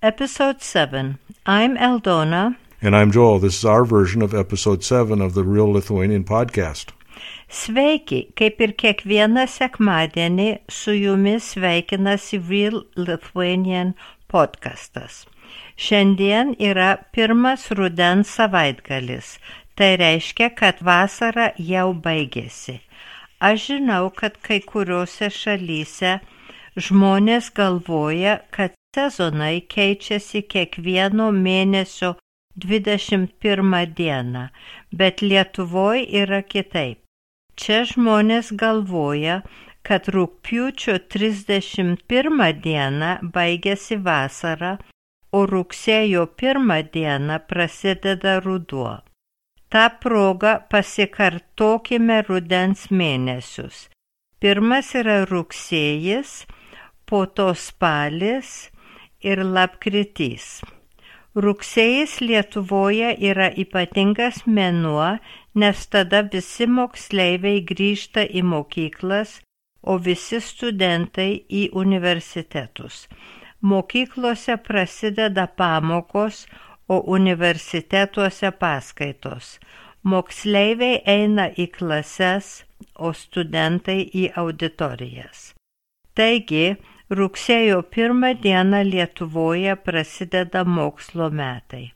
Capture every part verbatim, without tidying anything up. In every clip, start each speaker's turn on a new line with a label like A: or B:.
A: Episode seven. I'm Aldona.
B: And I'm Joel. This is our version of Episode seven of the Real Lithuanian podcast.
A: Sveiki, kaip ir kiekvieną sekmadienį su jumis sveikinasi Real Lithuanian podcastas. Šiandien yra pirmas rudens savaitgalis, tai reiškia, kad vasara jau baigėsi. Aš žinau, kad kai kuriuose šalyse žmonės galvoja, kad sezonai keičiasi kiekvieno mėnesio dvidešimt pirmą dieną, bet Lietuvoje yra kitaip. Čia žmonės galvoja, kad rugpjūčio trisdešimt pirmą dieną baigėsi vasara, o rugsėjo pirmą dieną prasideda ruduo. Ta proga pasikartokime rudens mėnesius. Pirmas yra rugsėjis, po to spalis ir lapkritys. Rugsėjis Lietuvoje yra ypatingas mėnuo, nes tada visi moksleiviai grįžta į mokyklas, o visi studentai į universitetus. Mokyklose prasideda pamokos, o universitetuose paskaitos. Moksleiviai eina į klases, o studentai į auditorijas. Taigi, rugsėjo pirmą dieną Lietuvoje prasideda mokslo metai.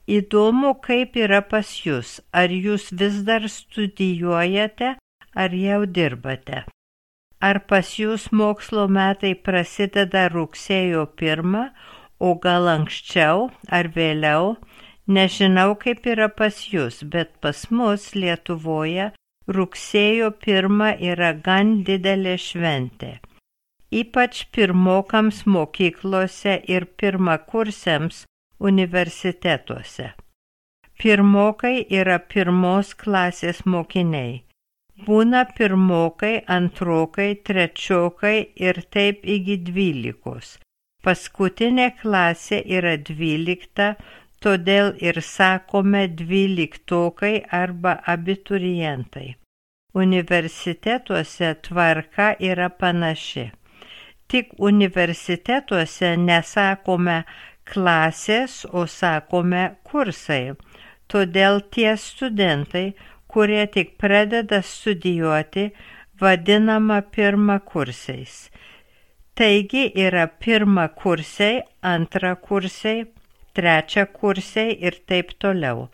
A: Įdomu, kaip yra pas jūs, ar jūs vis dar studijuojate, ar jau dirbate. Ar pas jūs mokslo metai prasideda rugsėjo pirmą, o gal anksčiau ar vėliau, nežinau, kaip yra pas jūs, bet pas mus Lietuvoje rugsėjo pirmą yra gan didelė šventė. Ypač pirmokams mokyklose ir pirmakursiams universitetuose. Pirmokai yra pirmos klasės mokiniai. Būna pirmokai, antrokai, trečiokai ir taip iki dvylikos. Paskutinė klasė yra dvylikta, todėl ir sakome dvyliktokai arba abiturientai. Universitetuose tvarka yra panaši. Tik universitetuose nesakome klasės, o sakome kursai. Todėl tie studentai, kurie tik pradeda studijuoti, vadinama pirmakursiais. Taigi yra pirmakursiai, antrakursiai, trečiakursiai ir taip toliau.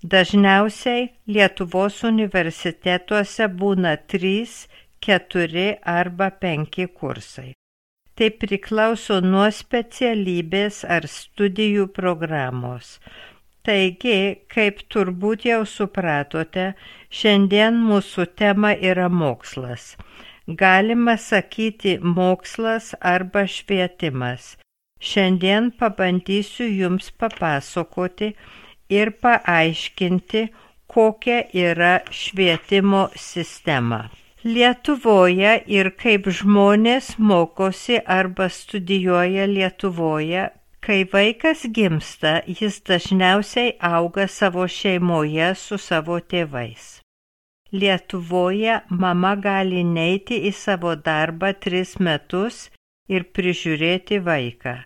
A: Dažniausiai Lietuvos universitetuose būna trys, keturi arba penki kursai. Tai priklauso nuo specialybės ar studijų programos. Taigi, kaip turbūt jau supratote, šiandien mūsų tema yra mokslas. Galima sakyti mokslas arba švietimas. Šiandien pabandysiu jums papasakoti ir paaiškinti, kokia yra švietimo sistema. Lietuvoje ir kaip žmonės mokosi arba studijuoja Lietuvoje, kai vaikas gimsta, jis dažniausiai auga savo šeimoje su savo tėvais. Lietuvoje mama gali neiti į savo darbą tris metus ir prižiūrėti vaiką.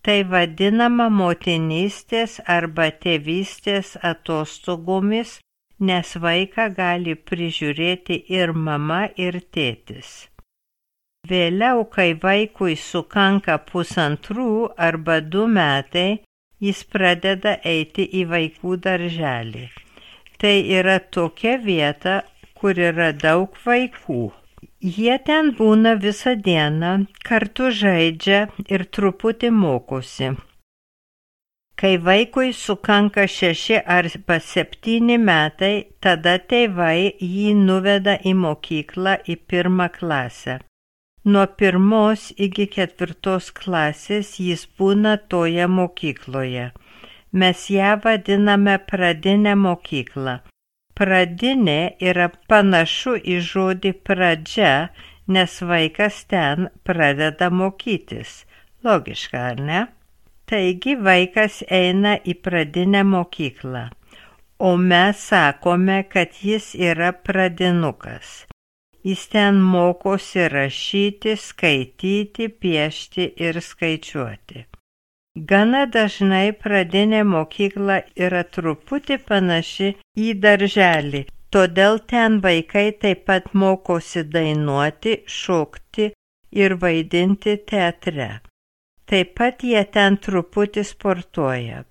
A: Tai vadinama motinystės arba tėvystės atostogomis, nes vaiką gali prižiūrėti ir mama, ir tėtis. Vėliau, kai vaikui sukanka pusantrų arba du metai, jis pradeda eiti į vaikų darželį. Tai yra tokia vieta, kur yra daug vaikų. Jie ten būna visą dieną, kartu žaidžia ir truputį mokosi. Kai vaikui sukanka šeši arba septyni metai, tada tėvai jį nuveda į mokyklą į pirmą klasę. Nuo pirmos iki ketvirtos klasės jis būna toje mokykloje. Mes ją vadiname pradinę mokyklą. Pradinė yra panašu į žodį pradžia, nes vaikas ten pradeda mokytis. Logiška, ar ne? Taigi vaikas eina į pradinę mokyklą, o mes sakome, kad jis yra pradinukas. Jis ten mokosi rašyti, skaityti, piešti ir skaičiuoti. Gana dažnai pradinė mokykla yra truputį panaši į darželį, todėl ten vaikai taip pat mokosi dainuoti, šokti ir vaidinti teatre. Taip pat jie ten truputį sportuoja,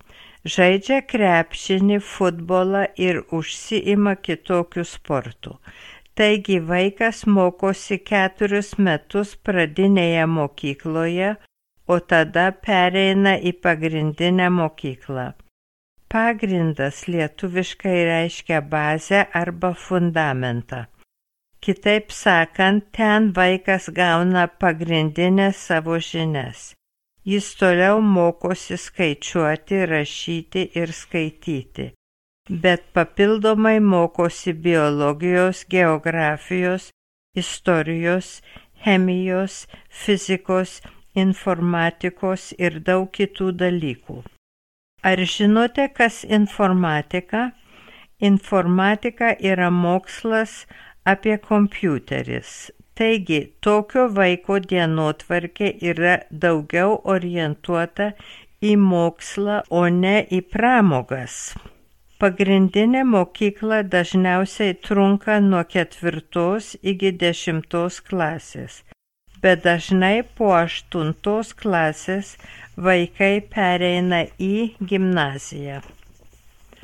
A: žaidžia krepšinį, futbolą ir užsiima kitokių sportų. Taigi vaikas mokosi keturis metus pradinėje mokykloje, o tada pereina į pagrindinę mokyklą. Pagrindas lietuviškai reiškia bazę arba fundamentą. Kitaip sakant, ten vaikas gauna pagrindinės savo žinias. Jis toliau mokosi skaičiuoti, rašyti ir skaityti, bet papildomai mokosi biologijos, geografijos, istorijos, chemijos, fizikos, informatikos ir daug kitų dalykų. Ar žinote, kas informatika? Informatika yra mokslas apie kompiuteris. Taigi, tokio vaiko dienotvarkė yra daugiau orientuota į mokslą, o ne į pramogas. Pagrindinė mokykla dažniausiai trunka nuo ketvirtos iki dešimtos klasės, bet dažnai po aštuntos klasės vaikai pereina į gimnaziją.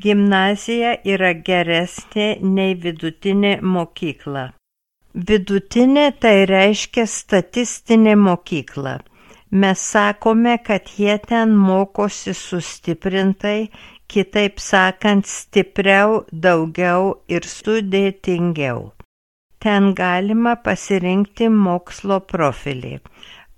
A: Gimnazija yra geresnė nei vidutinė mokykla. Vidutinė tai reiškia statistinė mokykla. Mes sakome, kad jie ten mokosi sustiprintai, kitaip sakant, stipriau, daugiau ir sudėtingiau. Ten galima pasirinkti mokslo profilį.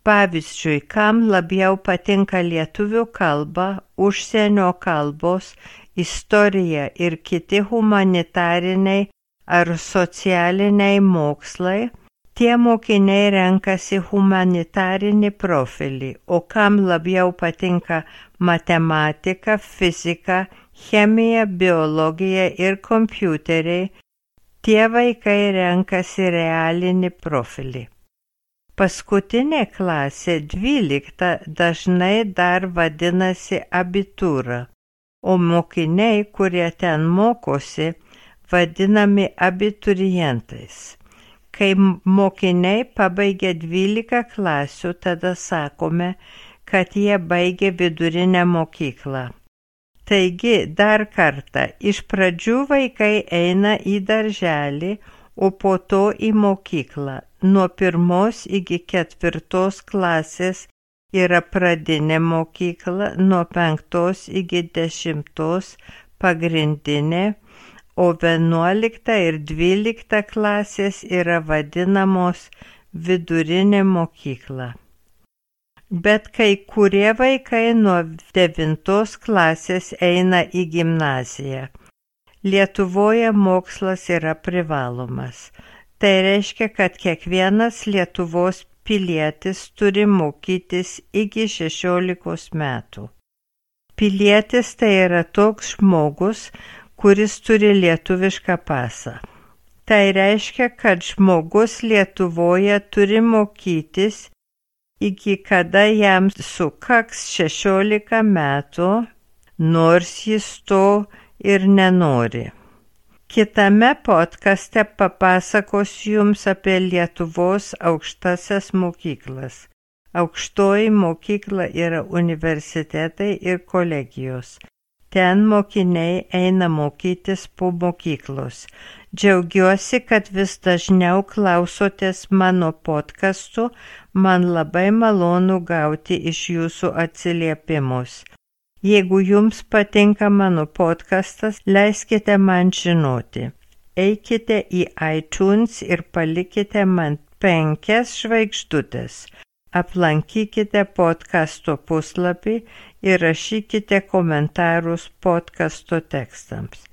A: Pavyzdžiui, kam labiau patinka lietuvių kalba, užsienio kalbos, istorija ir kiti humanitariniai ar socialiniai mokslai, tie mokiniai renkasi humanitarinį profilį, o kam labiau patinka matematika, fizika, chemija, biologija ir kompiuteriai, tie vaikai renkasi realinį profilį. Paskutinė klasė, dvylikta, dažnai dar vadinasi abitūra, o mokiniai, kurie ten mokosi, vadinami abiturientais. Kai mokiniai pabaigia dvylika klasių, tada sakome, kad jie baigė vidurinę mokyklą. Taigi, dar kartą, iš pradžių vaikai eina į darželį, o po to į mokyklą. Nuo pirmos iki ketvirtos klasės yra pradinė mokykla, nuo penktos iki dešimtos pagrindinė, o vienuolikta ir dvylikta klasės yra vadinamos vidurinė mokykla. Bet kai kurie vaikai nuo devintos klasės eina į gimnaziją. Lietuvoje mokslas yra privalomas. Tai reiškia, kad kiekvienas Lietuvos pilietis turi mokytis iki šešiolikos metų. Pilietis tai yra toks žmogus, kuris turi lietuvišką pasą. Tai reiškia, kad žmogus Lietuvoje turi mokytis iki kada jam sukaks šešiolika metų, nors jis to ir nenori. Kitame podcaste papasakosiu jums apie Lietuvos aukštasias mokyklas. Aukštoji mokykla yra universitetai ir kolegijos. Ten mokiniai eina mokytis po mokyklos. Džiaugiuosi, kad vis dažniau klausotės mano podcastų, man labai malonu gauti iš jūsų atsiliepimus. Jeigu jums patinka mano podcastas, leiskite man žinoti. Eikite į iTunes ir palikite man penkias žvaigždutes. Aplankykite podcasto puslapį ir rašykite komentarus podcasto tekstams.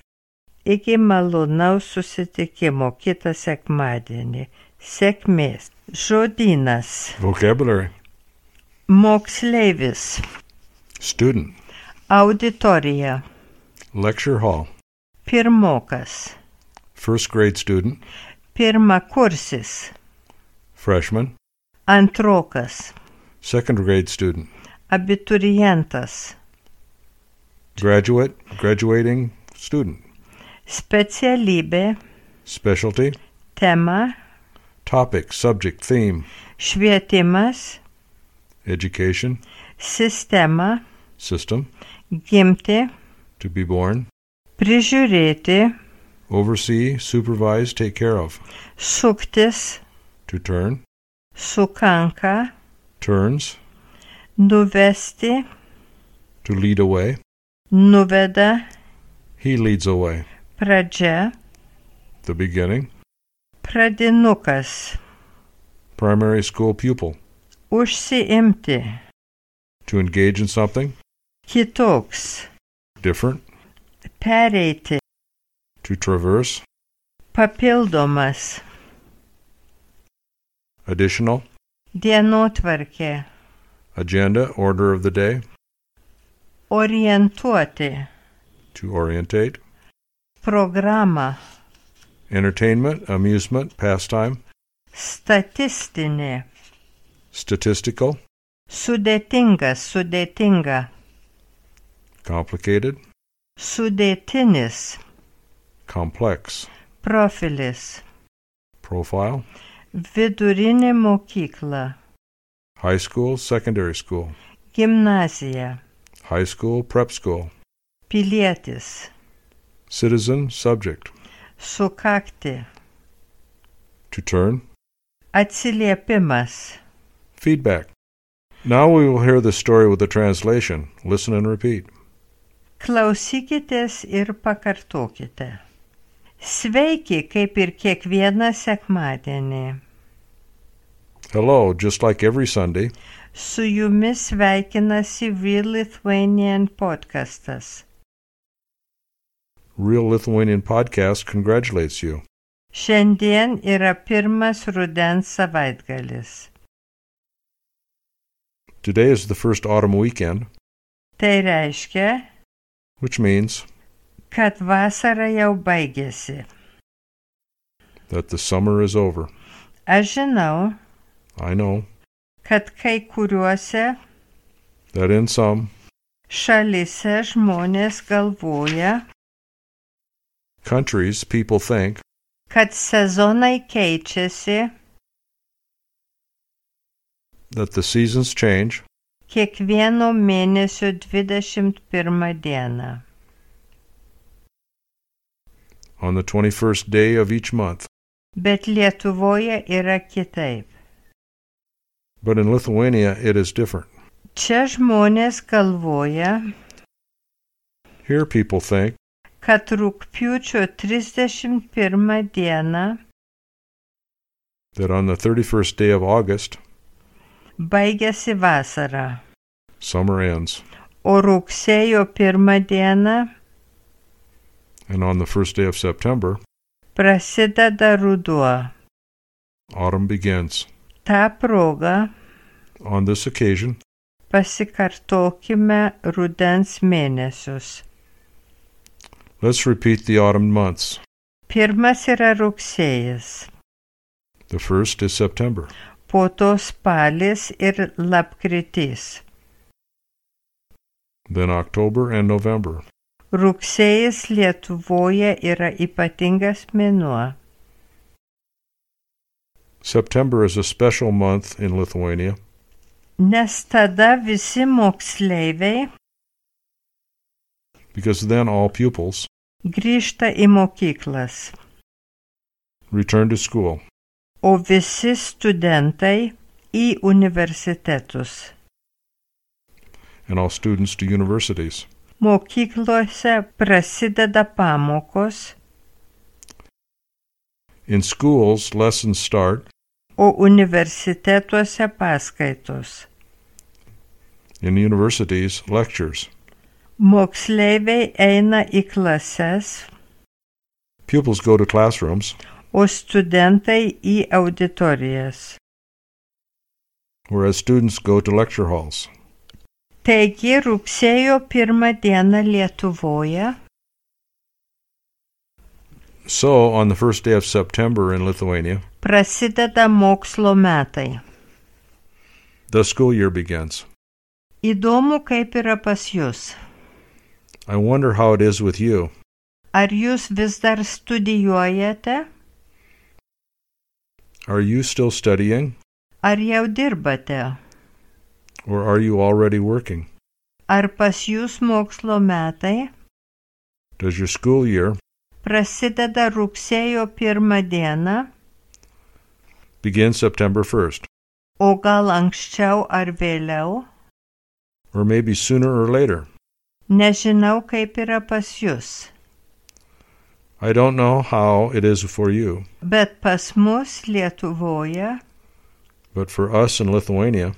A: Iki malonaus susitikimo kitą sekmadienį. Sėkmės. Žodynas.
B: Vocabulary.
A: Moksleivis.
B: Student.
A: Auditorija.
B: Lecture hall.
A: Pirmokas.
B: First grade student.
A: Pirmakursis.
B: Freshman.
A: Antrokas.
B: Second grade student.
A: Abiturientas.
B: Graduate, graduating student.
A: Specialybė.
B: Specialty.
A: Tema.
B: Topic, subject, theme.
A: Švietimas.
B: Education.
A: Sistema.
B: System.
A: Gimti.
B: To be born.
A: Prižiūrėti.
B: Oversee, supervise, take care of.
A: Suktis.
B: To turn.
A: Sukanka.
B: Turns.
A: Nuvesti.
B: To lead away.
A: Nuveda.
B: He leads away.
A: Pradžia.
B: The beginning.
A: Pradinukas.
B: Primary school pupil.
A: Užsiimti.
B: To engage in something.
A: Kitoks.
B: Different.
A: Pereiti.
B: To traverse.
A: Papildomas.
B: Additional.
A: Dienotvarkė.
B: Agenda, order of the day.
A: Orientuoti.
B: To orientate.
A: Programa.
B: Entertainment, amusement, pastime.
A: Statistinė.
B: Statistical.
A: Sudėtingas, sudėtinga.
B: Complicated.
A: Sudėtinis.
B: Complex.
A: Profilis.
B: Profile.
A: Vidurinė mokykla.
B: High school, secondary school.
A: Gimnazija.
B: High school, prep school.
A: Pilietis.
B: Citizen, subject.
A: Sukakti.
B: To turn.
A: Atsiliepimas.
B: Feedback. Now we will hear the story with the translation. Listen and repeat.
A: Klausykitės ir pakartokite. Sveiki, kaip ir kiekvieną sekmadienį.
B: Hello, just like every Sunday.
A: Su jumis sveikinasi Real Lithuanian podcastas.
B: Real Lithuanian Podcast congratulates you.
A: Šiandien yra pirmas rudens savaitgalis.
B: Today is the first autumn weekend,
A: Tai reiškia,
B: which means
A: kad vasara jau baigėsi.
B: that the summer is over.
A: Aš žinau,
B: I know
A: kad kai kuriuose
B: that in some
A: šalyse žmonės galvoja,
B: countries people think
A: kad sezonai keičiasi
B: that the seasons change
A: kiekvieno mėnesio dvidešimt pirmą dieną.
B: on the twenty-first day of each month.
A: Bet Lietuvoje yra kitaip.
B: But in Lithuania it is different.
A: Čia žmonės galvoja,
B: Here people think
A: kad rugpjūčio trisdešimt pirmą dieną
B: that on the thirty-first day of August,
A: baigėsi vasara,
B: summer ends,
A: o rugsėjo pirmą dieną
B: and on the first day of September,
A: prasideda ruduo.
B: autumn begins.
A: Ta proga
B: On this occasion,
A: pasikartokime rudens mėnesius.
B: let's repeat the autumn months.
A: Pirmas yra rugsėjis,
B: The first is September,
A: po to spalis ir lapkritis.
B: then October and November.
A: Rugsėjis Lietuvoje yra ypatingas mėnuo.
B: September is a special month in Lithuania
A: Nes tada visi moksleiviai
B: because then all pupils
A: grįžta į mokyklas,
B: return to school
A: o visi studentai į universitetus.
B: and all students to universities.
A: Mokyklose prasideda pamokos,
B: In schools, lessons start.
A: o universitetuose paskaitos.
B: In universities, lectures.
A: Moksleiviai eina į klases,
B: Pupils go to classrooms,
A: o studentai į auditorijas.
B: whereas students go to lecture halls.
A: Taigi rugsėjo pirmą dieną Lietuvoje
B: So, on the first day of September in Lithuania,
A: prasideda mokslo metai.
B: the school year begins.
A: Įdomu, kaip yra pas jūs.
B: I wonder how it is with you.
A: Ar jūs vis dar studijuojate?
B: Are you still studying,
A: Ar jau dirbate?
B: or are you already working?
A: Ar pas jūs mokslo metai
B: Does your school year
A: prasideda rugsėjo pirmą dieną,
B: begin September first,
A: o gal anksčiau ar vėliau?
B: or maybe sooner or later?
A: Nežinau, kaip yra pas jūs,
B: I don't know how it is for you,
A: bet pas mus Lietuvoje
B: but for us in Lithuania,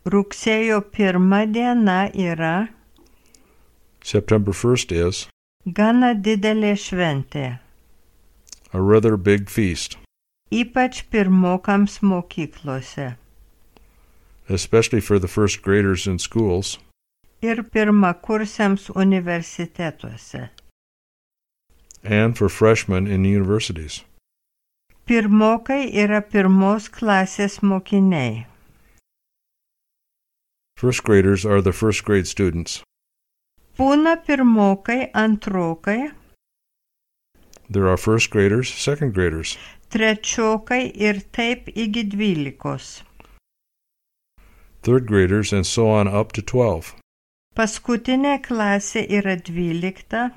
A: rugsėjo pirmą diena yra
B: September first is
A: gana didelė šventė,
B: a rather big feast,
A: ypač pirmokams mokyklose
B: especially for the first graders in schools
A: ir pirmakursiams universitetuose.
B: and for freshmen in universities.
A: Pirmokai yra pirmos klasės mokiniai.
B: First graders are the first grade students.
A: Būna pirmokai, antrokai,
B: There are first graders, second graders,
A: trečiokai ir taip iki dvylikos.
B: third graders, and so on up to twelve.
A: Paskutinė klasė yra dvylikta,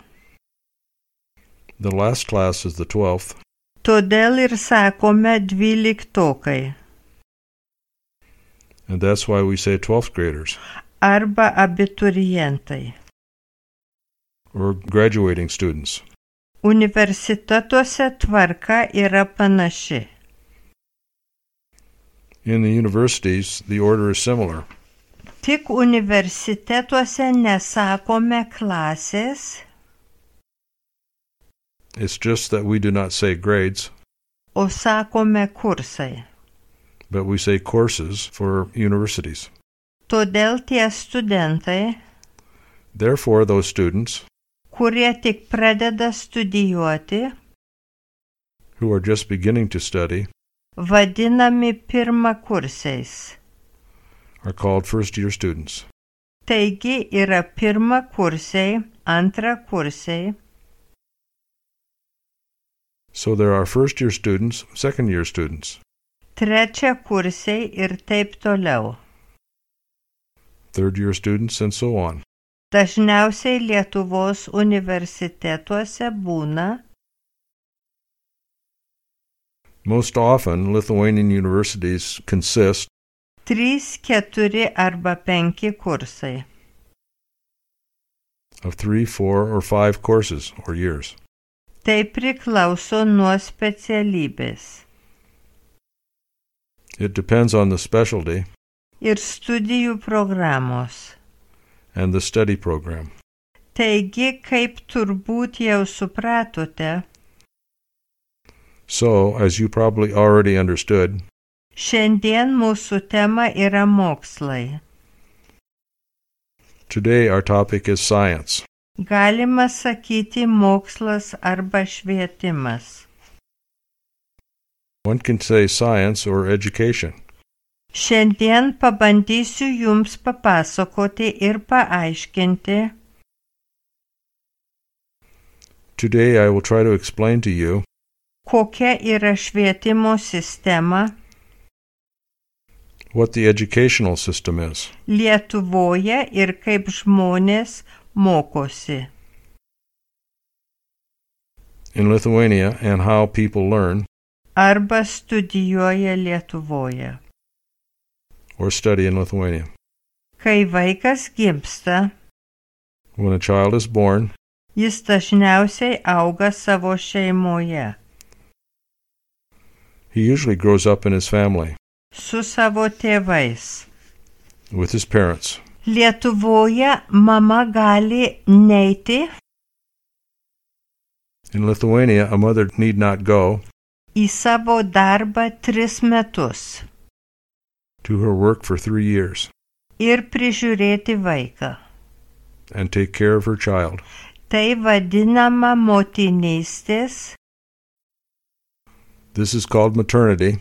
B: The last class is the twelfth,
A: todėl ir sakome dvyliktokai
B: and that's why we say twelfth graders,
A: arba abiturientai.
B: or graduating students.
A: Universitetuose tvarka yra panaši.
B: In the universities, the order is similar.
A: Tik universitetuose nesakome klasės,
B: It's just that we do not say grades,
A: o sakome kursai.
B: but we say courses for universities.
A: Todėl tie studentai,
B: Therefore, those students
A: kurie tik pradeda studijuoti,
B: who are just beginning to study
A: vadinami pirmakursiais.
B: are called first-year students.
A: Taigi yra pirmakursiai, antrakursiai,
B: So there are first-year students, second-year students,
A: trečiakursiai ir taip toliau.
B: third-year students, and so on.
A: Dažniausiai Lietuvos universitetuose būna
B: Most often, Lithuanian universities consist
A: trys, keturi arba penki kursai.
B: of three, four, or five courses or years.
A: Tai priklauso nuo specialybės
B: It depends on the specialty
A: ir studijų programos.
B: and the study program.
A: Taigi, kaip turbūt jau supratote,
B: So, as you probably already understood,
A: šiandien mūsų tema yra mokslai.
B: today our topic is science.
A: Galima sakyti mokslas arba švietimas.
B: One can say science or education.
A: Šiandien pabandysiu jums papasakoti ir paaiškinti,
B: Today I will try to explain to you
A: kokia yra švietimo sistema
B: what the educational system is
A: Lietuvoje ir kaip žmonės mokosi.
B: in Lithuania and how people learn
A: Arba studijuoja Lietuvoje.
B: or study in Lithuania.
A: Kai vaikas gimsta,
B: When a child is born,
A: jis dažniausiai auga savo šeimoje,
B: he usually grows up in his family
A: su savo tėvais.
B: with his parents.
A: Lietuvoje mama gali neiti
B: In Lithuania, a mother need not go
A: į savo darbą tris metus
B: to her work for three years
A: ir prižiūrėti vaiką.
B: and take care of her child.
A: Tai vadinama motinystės
B: This is called maternity,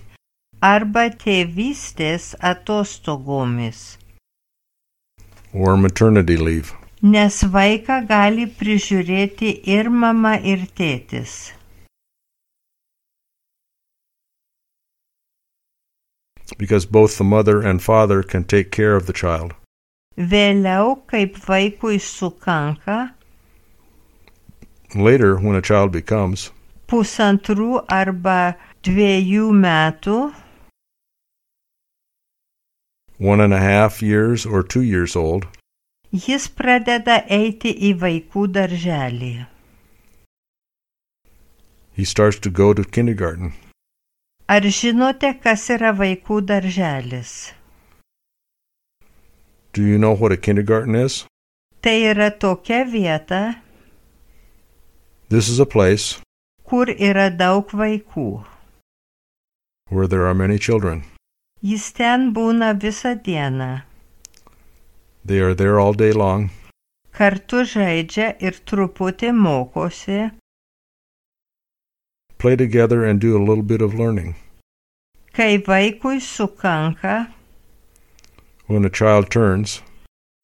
A: arba tėvystės atostogomis.
B: or maternity leave.
A: Nes vaiką gali prižiūrėti ir mama, ir tėtis.
B: Because both the mother and father can take care of the child.
A: Vėliau, kaip vaikui sukanka,
B: Later, when a child becomes
A: pusantrų arba dviejų metų,
B: one and a half years or two years old,
A: jis pradeda eiti į vaikų darželį.
B: he starts to go to kindergarten.
A: Ar žinote, kas yra vaikų darželis?
B: Do you know what a kindergarten is?
A: Tai yra tokia vieta,
B: This is a place
A: kur yra daug vaikų.
B: where there are many children.
A: Jis ten būna visą dieną.
B: They are there all day long.
A: Kartu žaidžia ir truputį mokosi.
B: Play together and do a little bit of learning.
A: Kai vaikui sukanka
B: When a child turns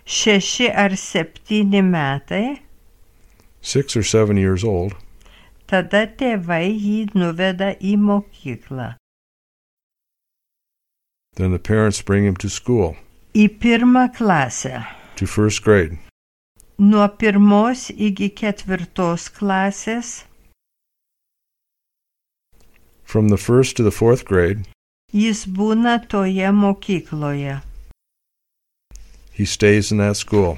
A: šeši ar septyni metai,
B: six or seven years old,
A: tada tėvai jį nuveda į mokyklą.
B: then the parents bring him to school,
A: Į pirmą klasę.
B: to first grade.
A: Nuo pirmos iki ketvirtos klasės
B: From the first to the fourth grade,
A: jis būna toje mokykloje.
B: he stays in that school.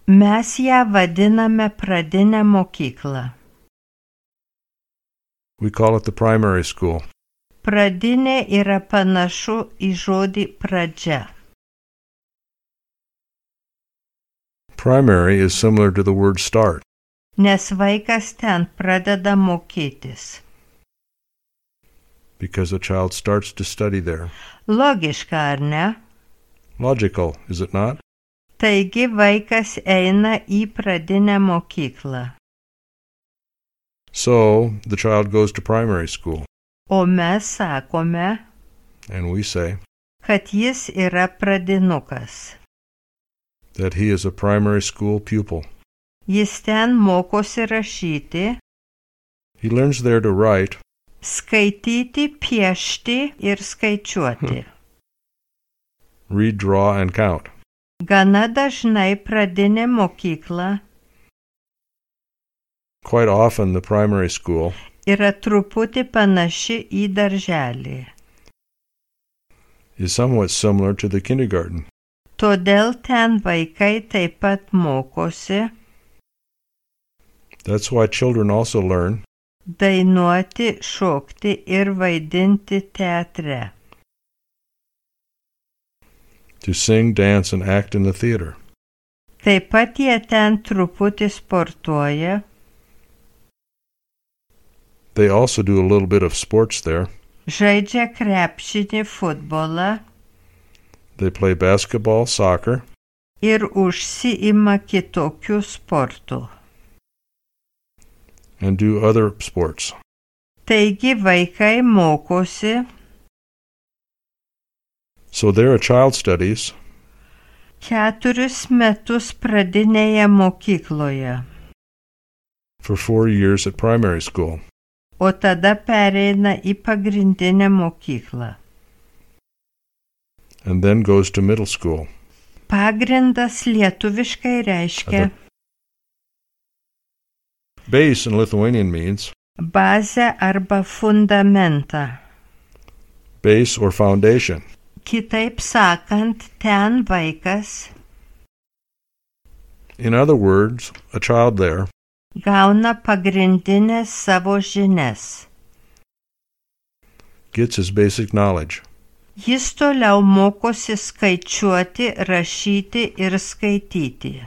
A: Mes ją vadiname pradinę mokyklą.
B: We call it the primary school.
A: Pradinė yra panašu į žodį pradžia.
B: Primary is similar to the word start,
A: Nes vaikas ten pradeda mokytis.
B: because a child starts to study there.
A: Logiška, ar ne?
B: Logical, is it not?
A: Taigi vaikas eina į pradinę mokyklą.
B: So, the child goes to primary school,
A: O mes sakome,
B: and we say
A: kad jis yra pradinukas.
B: that he is a primary school pupil.
A: Jis ten mokosi rašyti,
B: He learns there to write,
A: skaityti, piešti ir skaičiuoti.
B: read, draw, and count.
A: Gana dažnai pradinė mokykla
B: Quite often, the primary school
A: yra truputį panaši į darželį.
B: is somewhat similar to the kindergarten.
A: Todėl ten vaikai taip pat mokosi
B: That's why children also learn
A: dainuoti, šokti ir vaidinti teatre.
B: to sing, dance, and act in the theater.
A: Taip pat jie ten truputį sportuoja,
B: They also do a little bit of sports there.
A: žaidžia krepšinį, futbolą
B: They play basketball, soccer,
A: ir užsiima kitokių sportų.
B: and do other sports.
A: Taigi vaikai mokosi
B: So there a child studies
A: keturis metus pradinėje mokykloje,
B: for four years at primary school.
A: o tada pereina į pagrindinę mokyklą.
B: And then goes to middle school.
A: Pagrindas lietuviškai reiškia
B: Base in Lithuanian means
A: bazę arba fundamentą.
B: base or foundation.
A: Kitaip sakant, ten vaikas
B: In other words, a child there
A: gauna pagrindinės savo žinias.
B: gets his basic knowledge.
A: Jis toliau mokosi skaičiuoti, rašyti ir skaityti.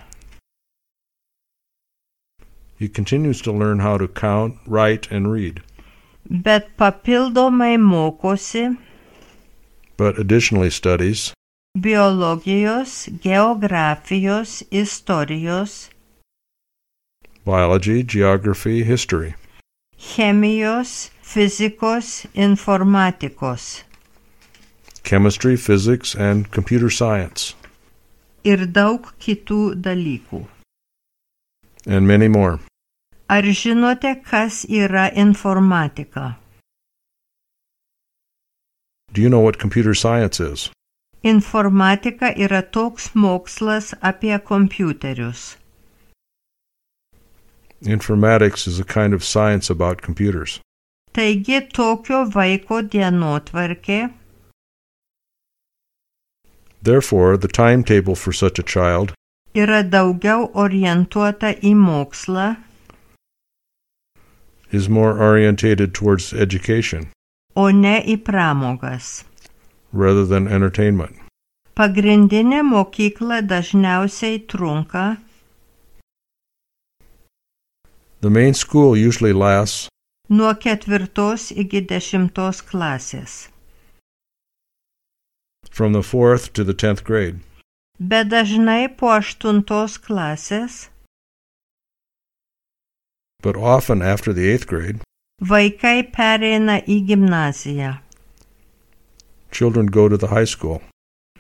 B: He continues to learn how to count, write, and read.
A: Bet papildomai mokosi
B: But additionally studies
A: biologijos, geografijos, istorijos,
B: biology, geography, history,
A: chemijos, fizikos, informatikos.
B: chemistry, physics, and computer science.
A: ir daug kitų dalykų.
B: And many more.
A: Ar žinote, kas yra informatika?
B: Do you know what computer science is?
A: Informatika yra toks mokslas apie kompiuterius.
B: Informatics is a kind of science about computers.
A: Taigi tokio vaiko dienotvarkė.
B: Therefore, the timetable for such a child
A: Yra daugiau orientuota į mokslą.
B: Is more orientated towards education.
A: O ne į pramogas.
B: Rather than entertainment.
A: Pagrindinė mokykla dažniausiai trunka.
B: The main school usually lasts
A: Nuo ketvirtos iki dešimtos klasės.
B: from the fourth to the tenth grade.
A: Bet dažnai po aštuntos klasės
B: But often after the eighth grade,
A: vaikai pereina į gimnaziją.
B: children go to the high school.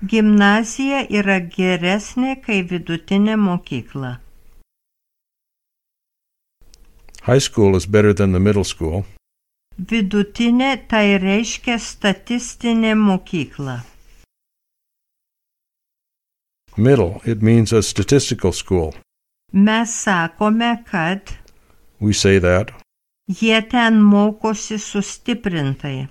A: Gimnazija yra geresnė kai vidutinė mokykla.
B: High school is better than the middle school.
A: Vidutinė tai reiškia statistinė mokykla.
B: Middle, it means a statistical school.
A: Mes sakome, kad
B: We say that.
A: jie ten mokosi sustiprintai.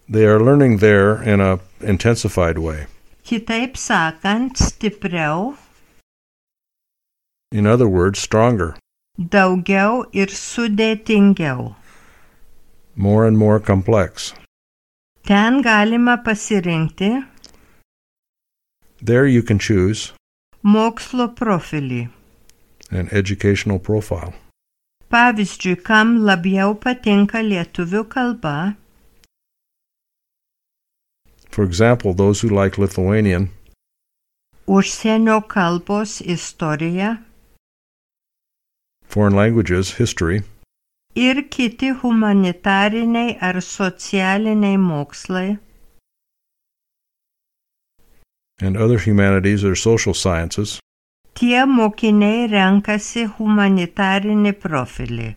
B: They are learning there in a intensified way.
A: Kitaip sakant, stipriau,
B: In other words, stronger,
A: daugiau ir sudėtingiau.
B: more and more complex.
A: Ten galima pasirinkti
B: There you can choose
A: mokslo profilį.
B: an educational profile.
A: Pavyzdžiui, kam labiau patinka lietuvių kalba,
B: For example, those who like Lithuanian,
A: užsienio kalbos istorija
B: foreign languages, history,
A: ir kiti humanitariniai ar socialiniai mokslai,
B: and other humanities or social sciences,
A: tie mokiniai renkasi humanitarinį profilį.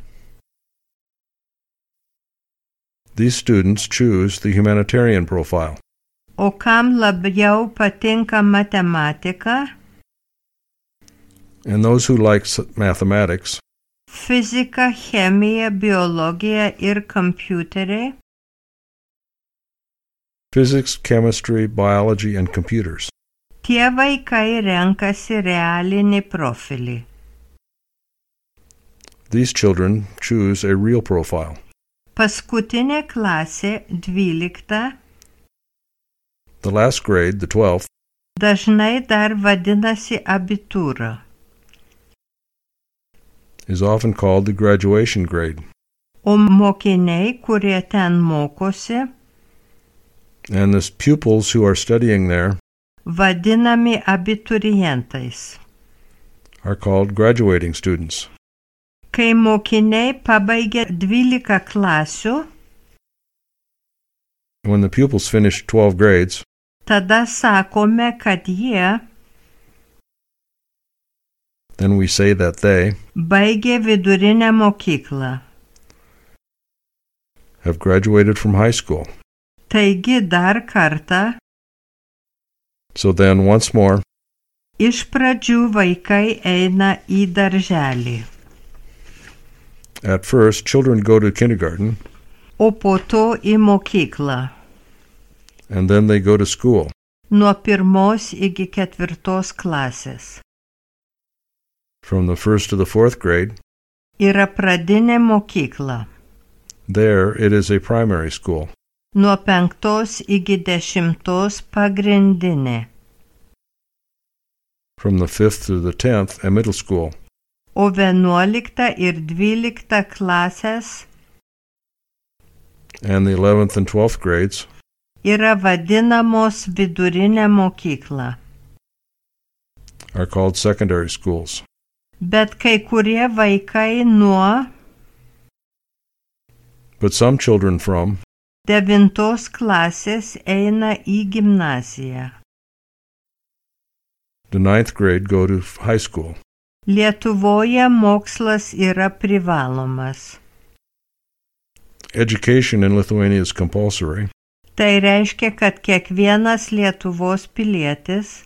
B: these students choose the humanitarian profile.
A: O kam labiau patinka matematika,
B: And those who like s- mathematics,
A: fizika, chemija, biologija ir kompiuteriai,
B: physics, chemistry, biology, and computers.
A: tie vaikai renkasi realinį profilį.
B: These children choose a real profile.
A: Paskutinė klasė, dvylikta,
B: The last grade, the twelfth,
A: dažnai dar vadinasi abitūra.
B: is often called the graduation grade,
A: O mokiniai, kurie ten mokosi,
B: and the pupils who are studying there
A: vadinami abiturientais.
B: are called graduating students.
A: Kai mokiniai pabaigia dvylika klasių,
B: When the pupils finish twelve grades,
A: tada sakome, kad jie
B: then we say that they
A: baigė vidurinę mokyklą.
B: have graduated from high school.
A: Taigi dar kartą,
B: So then, once more,
A: iš pradžių vaikai eina į darželį,
B: at first, children go to kindergarten,
A: o po to į mokyklą.
B: and then they go to school.
A: Nuo pirmos iki ketvirtos klasės.
B: From the first to the fourth grade,
A: Yra pradinė mokykla.
B: there it is a primary school.
A: Nuo penktos iki dešimtos pagrindinė.
B: From the fifth to the tenth, a middle school.
A: O vienuolikta ir dvylikta klasės
B: And the eleventh and twelfth grades
A: yra vadinamos vidurinė mokykla.
B: are called secondary schools.
A: Bet kai kurie vaikai nuo
B: But some children from
A: devintos klasės eina į gimnaziją.
B: The ninth grade go to high school.
A: Lietuvoje mokslas yra privalomas.
B: Education in Lithuania is compulsory.
A: Tai reiškia, kad kiekvienas Lietuvos pilietis.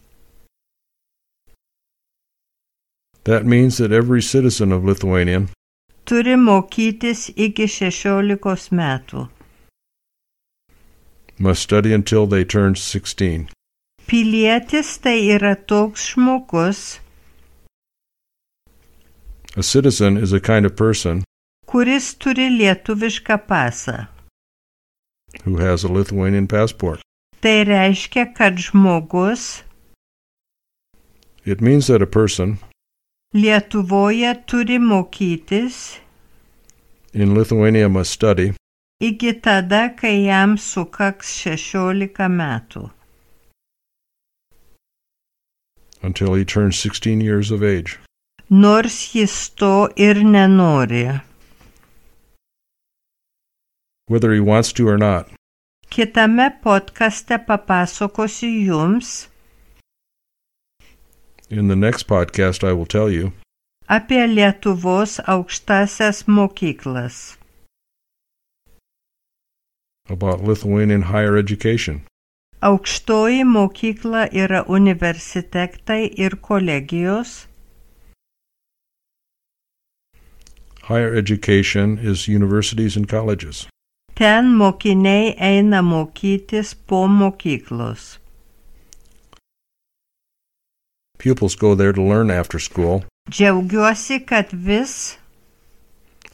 B: That means that every citizen of Lithuania
A: Turi mokytis iki šešiolikos metų.
B: must study until they turn sixteen.
A: Pilietis tai yra toks žmogus,
B: A citizen is a kind of person
A: kuris turi lietuvišką pasą.
B: who has a Lithuanian passport.
A: Tai reiškia, kad žmogus
B: It means that a person
A: Lietuvoje turi mokytis
B: in Lithuania must study
A: iki tada, kai jam sukaks šešiolika metų.
B: until he turns sixteen years of age.
A: Nors jis to ir nenori.
B: Whether he wants to or not,
A: Kitame podcaste papasakosiu jums
B: in the next podcast I will tell you
A: apie Lietuvos aukštasias mokyklas.
B: about Lithuanian higher education.
A: Aukštoji mokykla yra universitetai ir kolegijos.
B: Higher education is universities and colleges.
A: Ten mokiniai eina mokytis po mokyklos.
B: Pupils go there to learn after school.
A: Džiaugiuosi, kad vis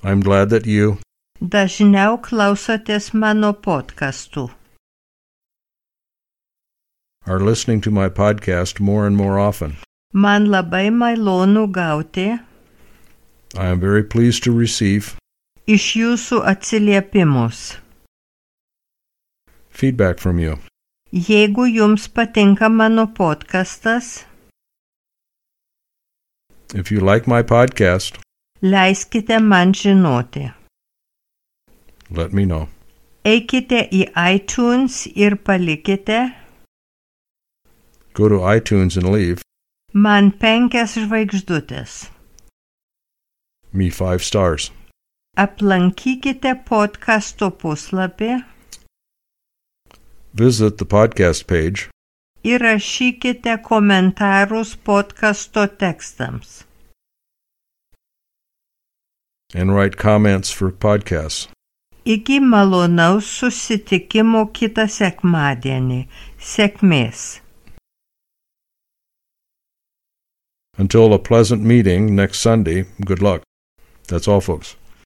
B: I'm glad that you
A: dažniau klausotės mano podcastų.
B: are listening to my podcast more and more often.
A: Man labai malonu gauti
B: I am very pleased to receive
A: iš jūsų atsiliepimus.
B: feedback from you.
A: Jeigu jums patinka mano podcastas,
B: If you like my podcast,
A: leiskite man žinoti.
B: let me know.
A: Eikite į iTunes ir palikite
B: Go to iTunes and leave
A: man penkias žvaigždutės.
B: me five stars.
A: Aplankykite podcasto puslapį
B: Visit the podcast page
A: ir rašykite komentarus podcasto tekstams.
B: and write comments for podcasts.
A: Iki malonaus susitikimo kitą sekmadienį. Sėkmės.
B: Until a pleasant meeting next Sunday, good luck. That's all, folks.